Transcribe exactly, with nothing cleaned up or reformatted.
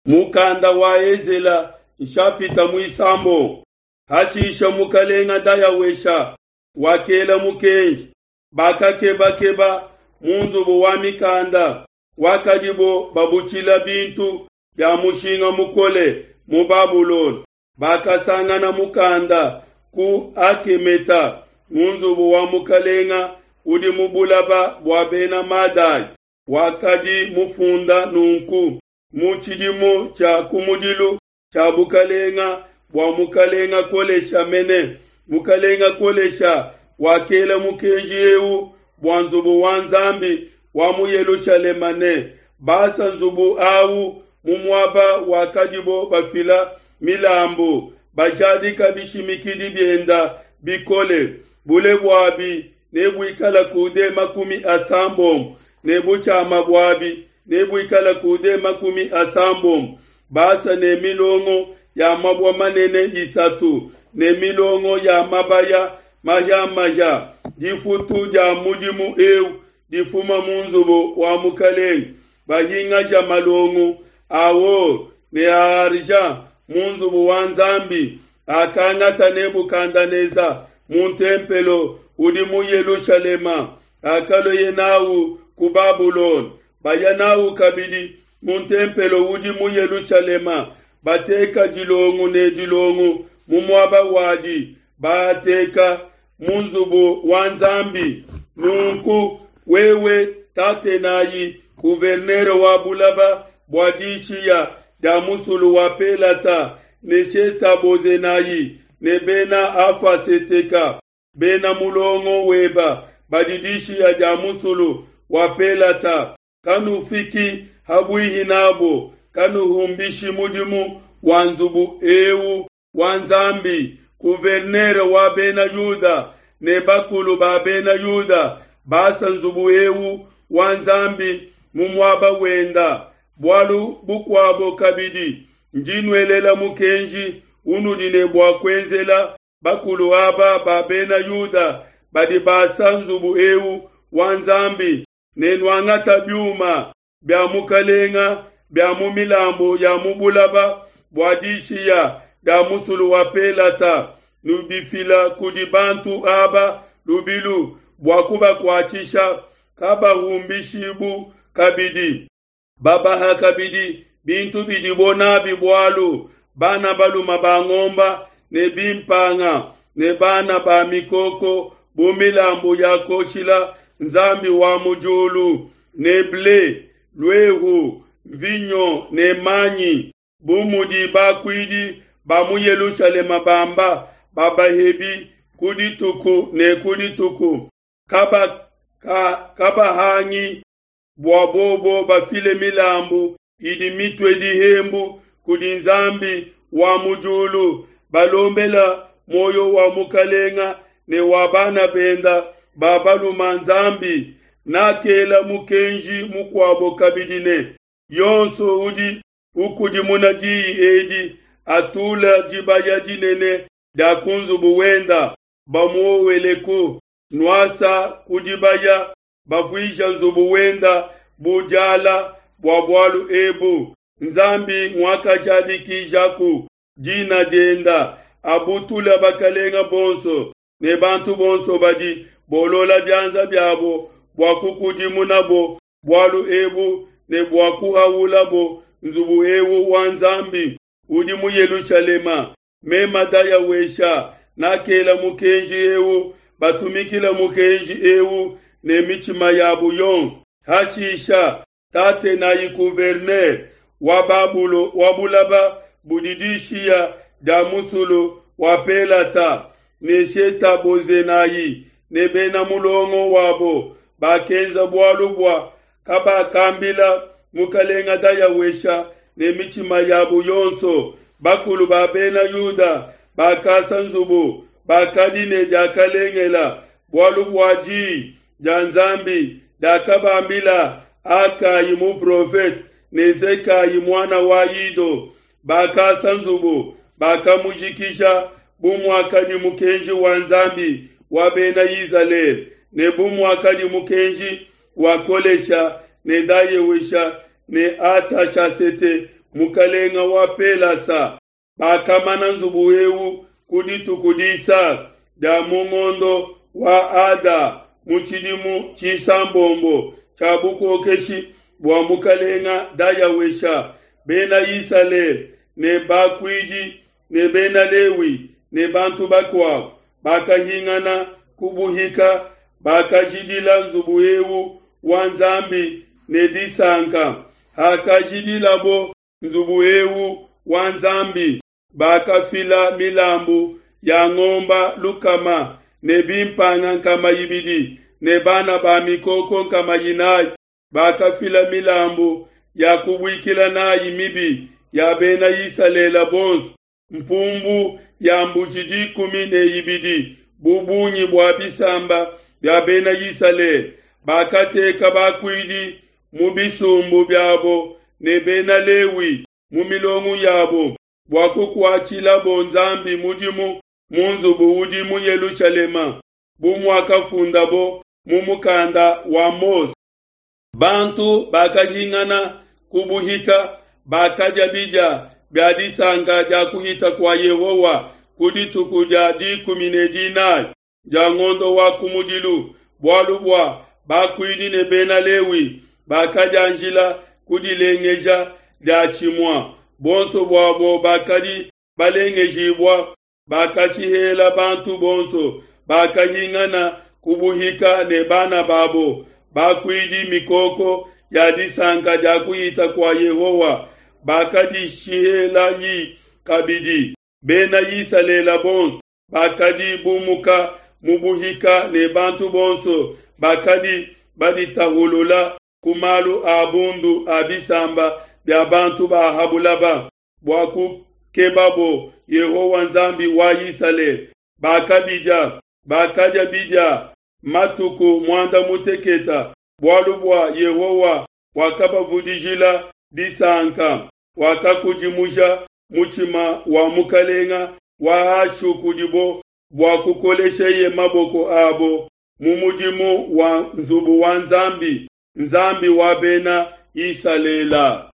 Mukanda wa Ezela nshapita muisambombo hashisha mukalenga Dayawesha wakela mukenji, bakakebakeba mu nzubu wa mikanda wakadibo babutshila bintu bia mushinga mukole mu Babulona. Bakasangana mukanda ku Akemeta mu nzubu wa mukalenga udi mu bulaba bua bena Madai, wakadi mufunda nunku: mu tshidimu tshia kumudilu tshia bukalenga bua mukalenga Kolesha mene, mukalenga Kolesha wakela mukenji eu bua nzubu wa Nzambi wa mu Yelushalema ne basa nzubu au mu muaba wakadibo bafila milambu, bajadika bishimikidi bienda bikole, bule buabi nebuikala kude makumi asambombo ne butshiama buabi nebuikala kude makumi asambombo, basa ne milongo ya mabue manene isatu ne milongo ya mabaya mahia-mahia. Difutu dia mudimu eu difuma mu nzubu wa mukalenge, bahingaja malongo a or ne a argent mu nzubu wa Nzambi akangata Nebukadenesa mu ntempelo udi mu Yelushalema, akalueye n'au ku Babulona, baya n'au kabidi mu ntempelo udi mu Yelushalema, bateka dilongo ne dilongo mu muaba wadi, baateka mu nzubu wa Nzambi. Nunku wewe Tatenayi, gouverneur wa bulaba bua dishiya dia musulu wa Pelata, ne Shetabozenayi ne bena Afaseteka, bena mulongo weba badi dishiya dia musulu wa Pelata, kanufiki habuihi nabo, kanuhumbishi mudimu wa nzubu eu wa Nzambi. Gouverneur wa bena Yuda ne bakulu ba bena Yuda basa nzubu eu wa Nzambi mu muaba wenda. Bualu bukuabo kabidi, ndi nuelela mukenji unudi ne bua kuenzela bakulu aba ba bena Yuda badi basa nzubu eu wa Nzambi, ne nuangata biuma bia mukalenga bia mu milambu ya mu bulaba bua dishiya dia musulu wa Pelata, nubifila kudi bantu aba lubilu bua kubakuatshisha, kabahumbishibu kabidi. Babaha kabidi bintu bidibo nabi bualu, bana baluma ba ngomba ne bimpanga ne bana ba mikoko bu milambu ya koshila Nzambi wa mu diulu, ne ble, luehu, mvinyo ne manyi, bu mudi bakuidi ba mu Yelushalema bamba babahebi ku dituku ne ku dituku, kaba ka, kabahangi bua bobo bafile milambu idi mitue dihembu kudi Nzambi wa mu diulu, balombela muoyo wa mukalenga ne wa bana benda ba baluma Nzambi. Nakela mukenji mukuabo kabidi ne, yonso udi ukudimuna diyi edi atula dibaya dinene dia ku nzubu wenda, bamuoweleku nuasa ku dibaya, bavuija nzubu wenda bu diala bua bualu ebu. Nzambi nguakajadikijaku dina dienda, abutula bakalenga bonso ne bantu bonso badi bolola bianza biabo bua kukudimunabo bualu ebu ne bua kuhaulabo nzubu eu wa Nzambi udi mu Yelushalema. Mema Dayawesha nakela mukenji eu, batumikila mukenji eu ne mitshima yabo yonso. Hashisha Tatenayi gouverneur wa Babulo wa bulaba budi dishiya dia musulu wa Pelata ne Shetabozenayi ne bena mulongo wabo bakenza bualu bua kabakambila mukalenga Dayawesha ne mitshima yabo yonso. Bakulu ba bena Yuda bakasa nzubu bakadi ne diakalengela, bualu bua diyi dia Nzambi diakabambila Akayi muprofete ne Zekayi muana wa Ido. Bakasa nzubu bakamujikija bu muakadi mukenji wa Nzambi wa bena Izalele ne bu muakadi mukenji wa Kolesha ne Dayewesha ne Atashasete mukalenga wa Pelasa. Bakamana nzubu eu ku dituku disatu dia mu ngondo wa Ada mu tshidimu tshisambombo tshia bukokeshi bua mukalenga Dayawesha. Bena Isalele ne bakuidi ne Bena Lewi ne bantu bakuabo bakahingana ku buhika bakajidila nzubu eu wa Nzambi ne disanka. Hakajidilabo nzubu eu wa Nzambi, bakafila milambu ya ngomba lukama ne bimpanga nkama ibidi ne bana ba mikoko nkama inayi. Bakafila milambu ya kubuikila nayi mibi ya Bena Isalele bonso, mpumbu ya mbuji dikumi ne ibidi bu bungi bua bisamba bia Bena Isalele. Bakateka bakuidi mu bisumbu biabo ne Bena Lewi mu milongo yabo bua kukuatshilabo Nzambi mudimu mu nzubu udi mu Yelushalema, bu muakafundabo mu mukanda wa Mose. Bantu bakahingana ku buhika bakadia bidia bia disanka dia kuhita kua Yehowa ku dituku dia dikumi ne dinayi dia ngondo wa kumudilu, bualu bua bakuidi ne Bena Lewi bakadianjila kudilengeja diatshimue. Bonso buabo bakadi balengejibua, bakashihela bantu bonso bakahingana ku buhika ne bana babo bakuidi mikoko ya disanka dia kuhita kua Yehowa, bakadishihelayi kabidi. Bena Isalele bonso bakadi bumuka mu buhika ne bantu bonso bakadi baditahulula ku malu a bundu a bisamba bia bantu ba ha bulaba, bua kukebabo Yehowa Nzambi wa Isalele. Bakabidia, bakadia bidia matuku muanda muteketa, bualu bua Yehowa wakabavudijila disanka, wakakudimuja mutshima wa mukalenga wa Ashu kudibo bua kukolesheye maboko abo mu mudimu wa nzubu wa Nzambi, Nzambi wa Bena Isalele.